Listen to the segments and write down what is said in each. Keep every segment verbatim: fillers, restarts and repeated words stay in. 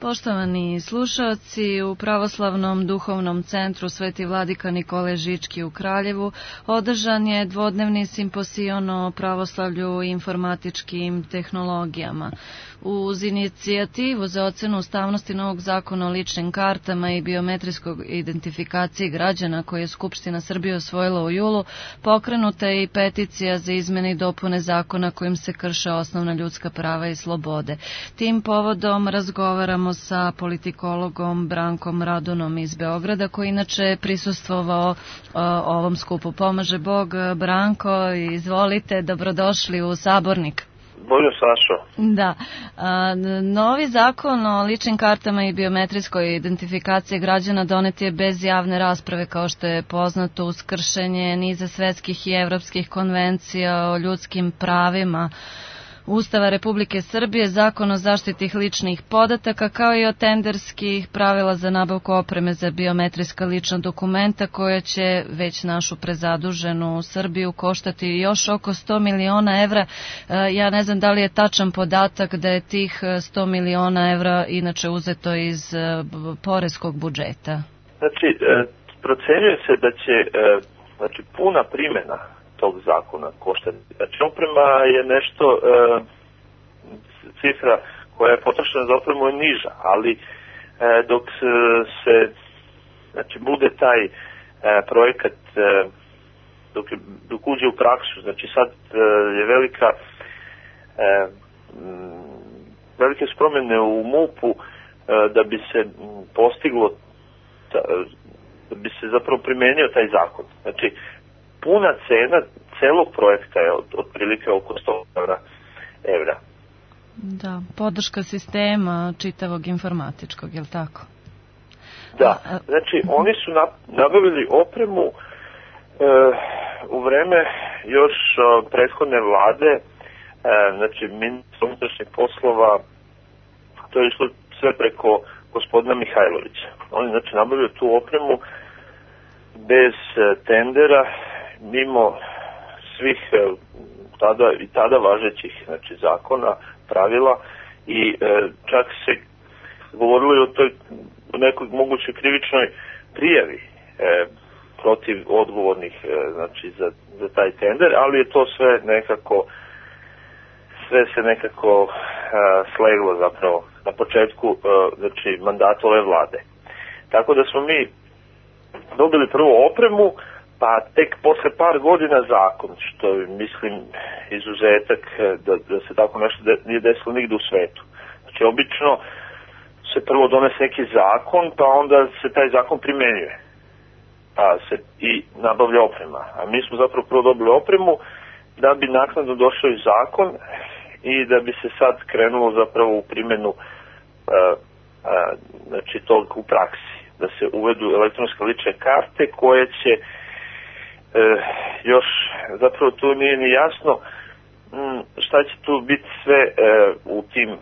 Poštovani slušaoci, u Pravoslavnom duhovnom centru Sveti vladika Nikole Žički u Kraljevu održan je dvodnevni simpozion o pravoslavlju i informatičkim tehnologijama. Uz inicijativu za ocenu ustavnosti novog zakona o ličnim kartama i biometrijskog identifikaciji građana koje je Skupština Srbije osvojila u julu, pokrenuta je i peticija za izmene i dopune zakona kojim se krše osnovna ljudska prava i slobode. Tim povodom razgovaramo sa politikologom Brankom Radunom iz Beograda, koji inače prisustvovao ovom skupu. Pomaže Bog. Branko, izvolite, dobrodošli u Sabornik. Bolje, Sašo. Da. A, novi zakon o ličnim kartama i biometrijskoj identifikaciji građana donet je bez javne rasprave, kao što je poznato, uz kršenje niza svetskih i evropskih konvencija o ljudskim pravima, Ustava Republike Srbije, Zakon o zaštiti ličnih podataka, kao i o tenderskih pravila za nabavku opreme za biometrijska lična dokumenta, koja će već našu prezaduženu Srbiju koštati još oko sto miliona evra. Ja ne znam da li je tačan podatak da je tih sto miliona evra inače uzeto iz poreskog budžeta. Znači, procenjuje se da će znači, puna primjena tog zakona koštati. Znači, oprema je nešto, e, cifra koja je potrošena za opremu je niža, ali e, dok se, znači, bude taj e, projekat, e, dok, dok uđe u praksu, znači sad e, je velika, e, m, velike spromjene u MUP-u e, da bi se postiglo, ta, da bi se zapravo primenio taj zakon. Znači, puna cena celog projekta je od, otprilike oko sto evra. Da, podrška sistema čitavog informatičkog, je li tako? Da, znači oni su nabavili opremu e, u vreme još o, prethodne vlade, e, znači ministar unutrašnjih poslova, to je išlo sve preko gospodina Mihajlovića. Oni znači nabavili tu opremu bez e, tendera, mimo svih tada i tada važećih, znači, zakona, pravila, i e, čak se govorilo o toj nekoj mogućoj krivičnoj prijavi e, protiv odgovornih, e, znači, za, za taj tender, ali je to sve nekako sve se nekako e, sleglo zapravo na početku e, znači, mandata ove vlade. Tako da smo mi dobili prvo opremu, pa tek posle par godina zakon, što je, mislim, izuzetak da, da se tako nešto de, nije desilo nigde u svetu. Znači, obično se prvo donese neki zakon, pa onda se taj zakon primenjuje. Pa se i nabavlja oprema. A mi smo zapravo prvo dobili opremu da bi naknadno došao i zakon i da bi se sad krenulo zapravo u primjenu a, a, znači, tog u praksi. Da se uvedu elektronske lične karte koje će E, još zapravo tu nije ni jasno m, šta će tu biti sve e, u tim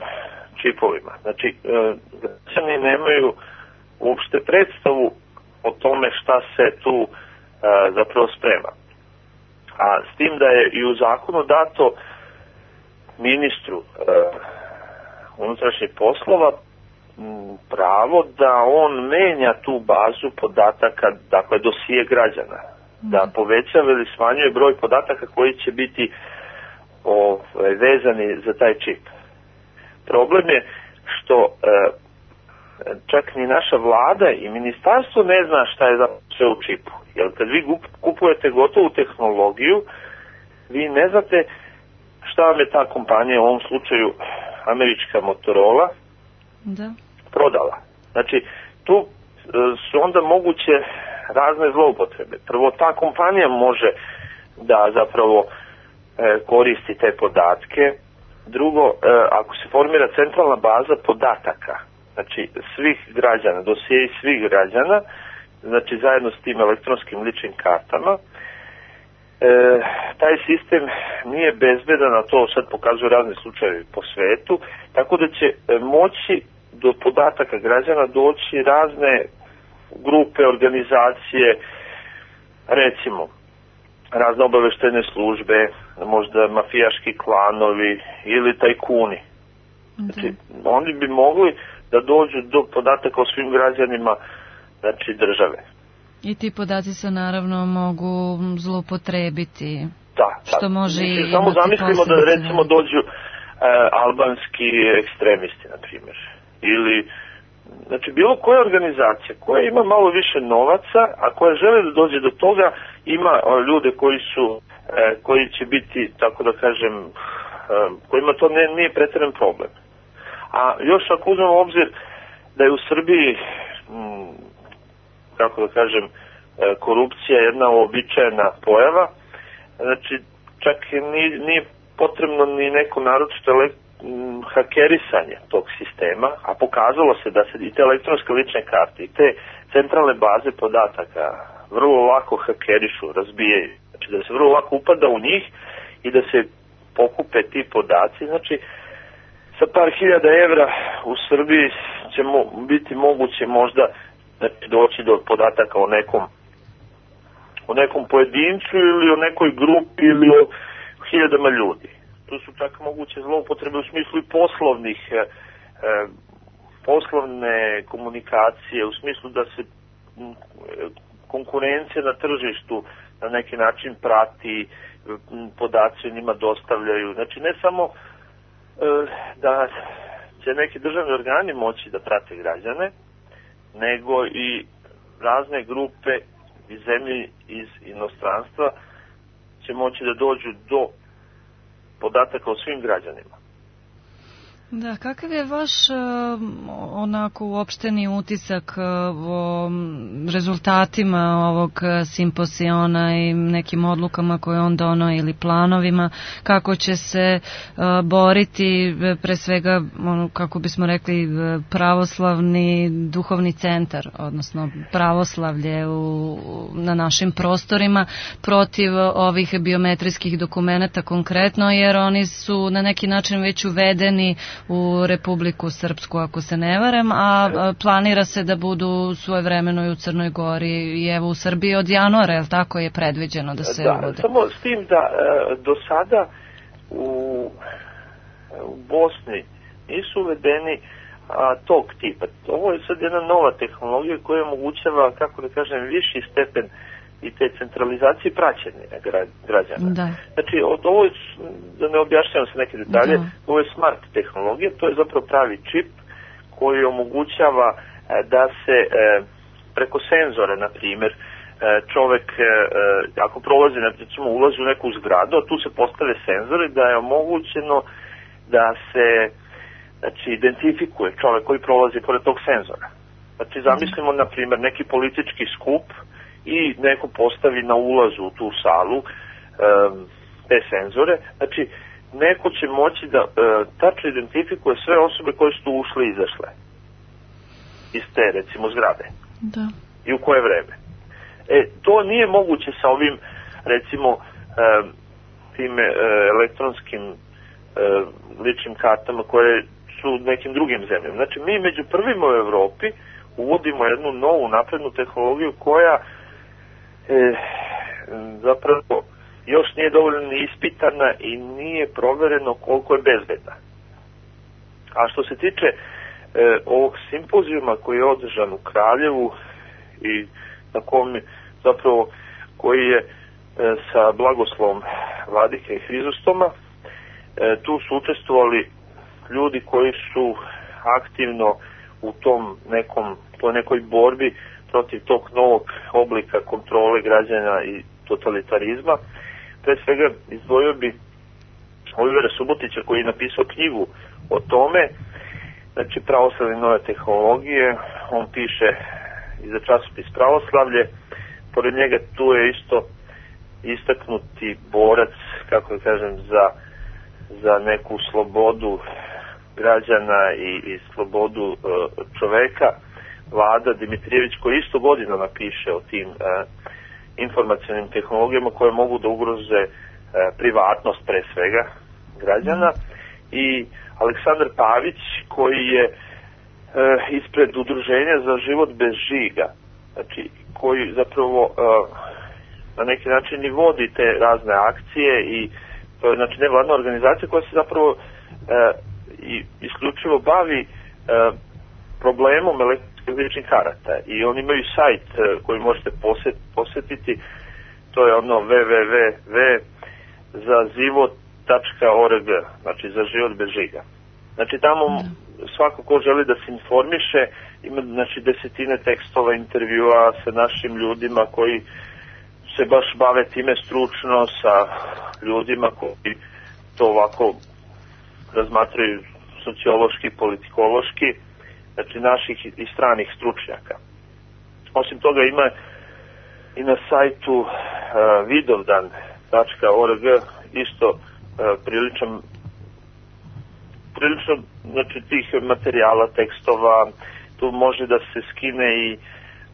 čipovima. Znači, e, građani nemaju uopšte predstavu o tome šta se tu e, zapravo sprema. A s tim da je i u zakonu dato ministru e, unutrašnjih poslova m, pravo da on menja tu bazu podataka, dakle dosije građana, da povećava ili smanjuje broj podataka koji će biti o, vezani za taj čip. Problem je što e, čak ni naša vlada i ministarstvo ne zna šta je sve u čipu. Jer kad vi kupujete gotovu tehnologiju, vi ne znate šta vam je ta kompanija, u ovom slučaju američka Motorola, da. prodala. Znači, tu e, su onda moguće razne zloupotrebe. Prvo, ta kompanija može da zapravo e, koristi te podatke. Drugo, e, ako se formira centralna baza podataka, znači svih građana, dosije svih građana, znači zajedno s tim elektronskim ličnim kartama, e, taj sistem nije bezbedan, a to sad pokazuju razni slučajevi po svetu, tako da će e, moći do podataka građana doći razne grupe, organizacije, recimo razne obaveštajne službe, možda mafijaški klanovi ili tajkuni. Znači, oni bi mogli da dođu do podataka o svim građanima, znači, države. I ti podaci se naravno mogu zloupotrebiti. Da, što da. može Mislim, imati samo zamislimo da recimo velike. dođu e, albanski ekstremisti, na primjer, ili znači bilo koja organizacija koja ima malo više novaca, a koja žele da dođe do toga, ima o, ljude koji su e, koji će biti, tako da kažem, e, kojima to ne, nije pretjeran problem. A još ako uzmemo u obzir da je u Srbiji m, kako da kažem, e, korupcija je jedna uobičajena pojava, znači čak nije, nije potrebno ni neko naročito hakerisanje tog sistema, a pokazalo se da se i te elektronske lične karte i te centralne baze podataka vrlo lako hakerišu, razbijaju, znači da se vrlo lako upada u njih i da se pokupe ti podaci, znači sa par hiljada evra u Srbiji će mo, biti moguće možda znači, doći do podataka o nekom o nekom pojedincu ili o nekoj grupi ili o hiljadama ljudi. Tu su čak moguće zloupotrebe u smislu i poslovnih e, poslovne komunikacije, u smislu da se konkurencija na tržištu na neki način prati, podaci o njima dostavljaju. Znači ne samo e, da će neki državni organi moći da prate građane, nego i razne grupe iz zemlje, iz inostranstva će moći da dođu do podataka o svim građanima. Da, kakav je vaš onako uopšteni utisak o rezultatima ovog simposiona i nekim odlukama koje on dono ili planovima, kako će se boriti pre svega, kako bismo rekli, pravoslavni duhovni centar, odnosno pravoslavlje u, na našim prostorima protiv ovih biometrijskih dokumenata konkretno, jer oni su na neki način već uvedeni u Republiku Srpsku, ako se ne varem, a planira se da budu svojevremeno i u Crnoj Gori i evo u Srbiji od januara, je li tako je predviđeno da se da, uvode? Samo s tim da do sada u, u Bosni nisu uvedeni a, tog tipa. Ovo je sad jedna nova tehnologija koja omogućava, kako da kažem, viši stepen i te centralizacije praćenja građana. Da. Znači, od ovo je, da ne objašnjavam se neke detalje, da. Ovo je smart tehnologija, to je zapravo pravi čip koji omogućava da se preko senzora, na primjer, čovek, ako prolazi, recimo, ulazi u neku zgradu, a tu se postave senzori, da je omogućeno da se, znači, identifikuje čovek koji prolazi pored tog senzora. Znači, zamislimo, na primjer, neki politički skup i neko postavi na ulazu u tu salu um, te senzore, znači neko će moći da uh, tačno identifikuje sve osobe koje su tu ušle i izašle iz te, recimo, zgrade. Da. I u koje vreme. E, to nije moguće sa ovim, recimo, um, tim uh, elektronskim uh, ličnim kartama koje su nekim drugim zemljama. Znači, mi među prvima u Evropi uvodimo jednu novu naprednu tehnologiju koja E, zapravo još nije dovoljno ispitana i nije provereno koliko je bezbedna. A što se tiče e, ovog simpozijuma koji je održan u Kraljevu i na kom zapravo koji je e, sa blagoslovom Vladike i Hrizostoma, e, tu su učestvovali ljudi koji su aktivno u tom nekom, toj nekoj borbi protiv tog novog oblika kontrole građana i totalitarizma. Pre svega izdvojio bi Olivera Subotića koji je napisao knjigu o tome, znači pravoslavlje nove tehnologije, on piše i za časopis Pravoslavlje, pored njega tu je isto istaknuti borac, kako da kažem, za, za neku slobodu građana i, i slobodu uh, čoveka, Vlada Dimitrijević, koji isto godina napiše o tim uh, informacionim tehnologijama koje mogu da ugroze uh, privatnost pre svega građana, i Aleksandar Pavić koji je uh, ispred Udruženja za život bez žiga, znači koji zapravo uh, na neki način i vodi te razne akcije, i to je znači nevladna organizacija koja se zapravo uh, i isključivo bavi uh, problemom elektronskih ličnih karata i oni imaju sajt koji možete posetiti, to je ono w w w za život tačka org, znači za život bez žiga. Znači tamo svako ko želi da se informiše, ima znači desetine tekstova, intervjua sa našim ljudima koji se baš bave time stručno, sa ljudima koji to ovako razmatraju sociološki, politikološki, znači naših i stranih stručnjaka. Osim toga ima i na sajtu uh, vidovdan tačka org isto uh, priličan prilično znači tih materijala, tekstova, tu može da se skine i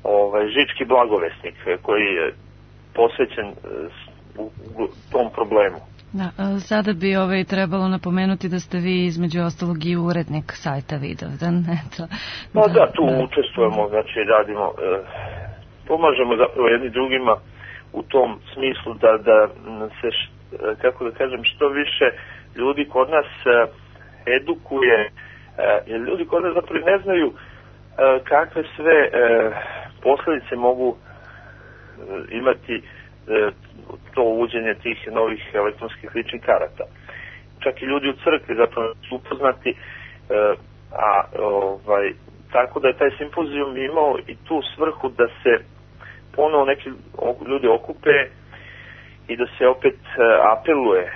ovaj žički blagovesnik koji je posvećen uh, u, u tom problemu. Da, sada bi ovaj trebalo napomenuti da ste vi između ostalog i urednik sajta Vidovdan, eto. Pa da, da tu da. učestvujemo, znači radimo, e, pomažemo zapravo jedni drugima u tom smislu da, da se, š, kako da kažem, što više ljudi kod nas e, edukuje, e, jer ljudi kod nas zapravo ne znaju e, kakve sve e, posljedice mogu e, imati e, to uvođenje tih novih elektronskih ličnih karata. Čak i ljudi u crkvi zapravo su upoznati, e, a ovaj, tako da je taj simpozijum imao i tu svrhu da se ponovo neki ljudi okupe i da se opet e, apeluje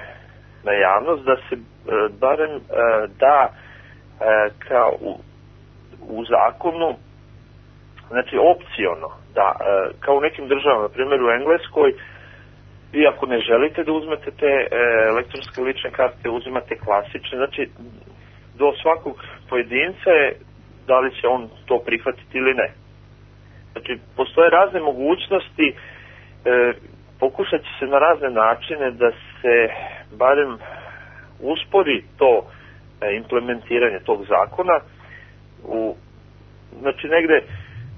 na javnost da se e, barem e, da e, kao u, u zakonu, znači opciono, da e, kao u nekim državama, na primjer u Engleskoj, vi ako ne želite da uzmete te e, elektronske lične karte, uzimate klasične, znači do svakog pojedinca je da li će on to prihvatiti ili ne. Znači postoje razne mogućnosti, e, pokušat će se na razne načine da se barem uspori to e, implementiranje tog zakona. U, znači negde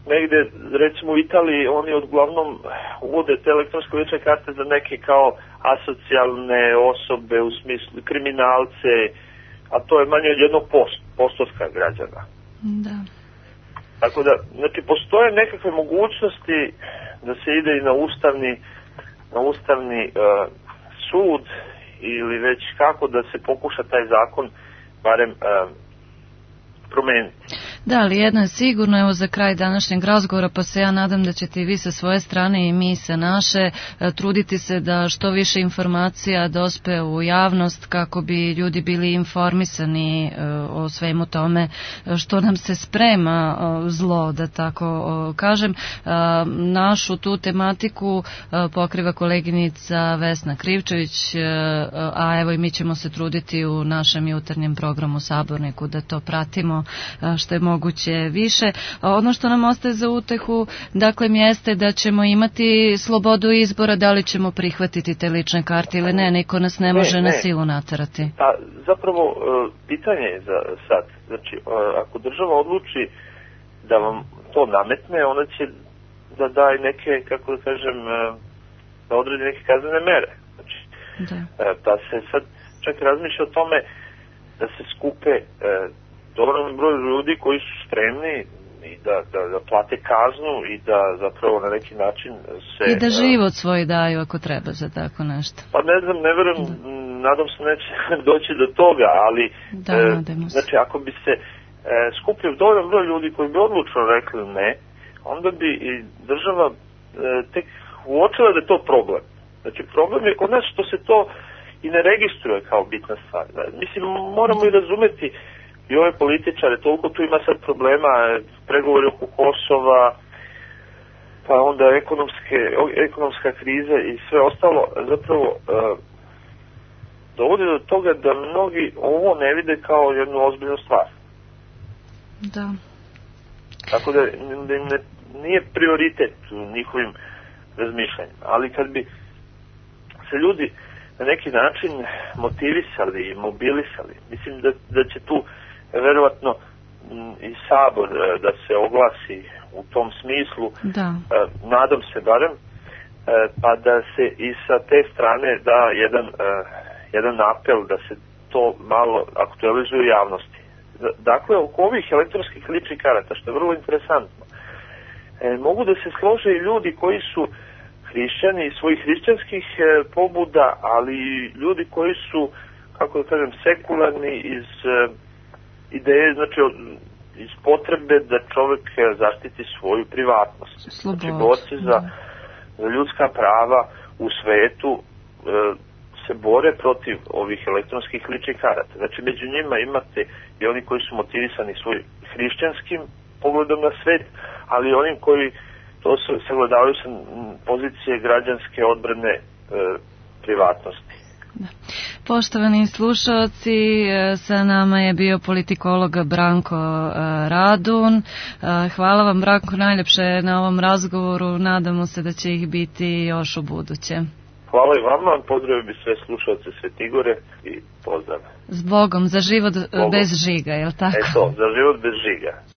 negde, recimo u Italiji, oni uglavnom uvode te elektronske lične karte za neke kao asocijalne osobe, u smislu kriminalce, a to je manje od jednog post, postotka građana. Da. Tako da, znači, postoje nekakve mogućnosti da se ide i na ustavni, na ustavni uh, sud ili već kako da se pokuša taj zakon barem uh, promeniti. Da, ali jedno je sigurno, evo za kraj današnjeg razgovora, pa se ja nadam da ćete i vi sa svoje strane i mi sa naše truditi se da što više informacija dospe u javnost kako bi ljudi bili informisani o svemu tome što nam se sprema zlo, da tako kažem. Našu tu tematiku pokriva koleginica Vesna Krivčević, a evo i mi ćemo se truditi u našem jutarnjem programu Saborniku da to pratimo što je moguće više. Ono što nam ostaje za utehu, dakle, jeste da ćemo imati slobodu izbora da li ćemo prihvatiti te lične karte ili ne, niko nas ne može ne, ne. na silu naterati. Pa zapravo pitanje je za sad, znači ako država odluči da vam to nametne, ona će da daje neke, kako da kažem, da odredi neke kaznene mere. Znači, da. da se sad čak razmišlja o tome da se skupe dovoljno broj ljudi koji su spremni i da, da, da plate kaznu i da zapravo na neki način se... I da život svoj daju ako treba za tako nešto. Pa ne znam, ne verujem, da. nadam se neće doći do toga, ali da, e, znači ako bi se e, skupio dovoljno broj ljudi koji bi odlučno rekli ne, onda bi i država e, tek uočila da je to problem. Znači problem je kod nas što se to i ne registruje kao bitna stvar. Mislim, moramo i razumeti i ove političare, toliko tu ima sad problema, pregovori oko Kosova, pa onda ekonomske, ekonomska kriza i sve ostalo, zapravo e, dovodi do toga da mnogi ovo ne vide kao jednu ozbiljnu stvar. Da. Tako da, da im ne, nije prioritet u njihovim razmišljanjima, ali kad bi se ljudi na neki način motivisali i mobilisali, mislim da, da će tu verovatno i Sabor da se oglasi u tom smislu, da. Nadam se barem, pa da se i sa te strane da jedan, jedan apel da se to malo aktualizuje u javnosti. dakle, oko ovih elektronskih ličnih karata, što je vrlo interesantno, e, mogu da se slože i ljudi koji su hrišćani iz svojih hrišćanskih e, pobuda, ali i ljudi koji su, kako da kažem, sekularni iz e, ideje, znači od, iz potrebe da čovek zaštiti svoju privatnost. Slobod. Znači, borci za, za ljudska prava u svetu e, se bore protiv ovih elektronskih ličnih karata. Znači, među njima imate i oni koji su motivisani svojim hrišćanskim pogledom na svet, ali i onim koji to se sagledavaju sa pozicije građanske odbrane e, privatnosti. Da. Poštovani slušalci, sa nama je bio politikolog Branko Radun. Hvala vam, Branko, najljepše na ovom razgovoru. Nadamo se da će ih biti još u buduće. Hvala i vama, pozdravio bi sve slušalce Svetigore i pozdrav. S Bogom, za život Bogom. Bez žiga, je li tako? Eto, za život bez žiga.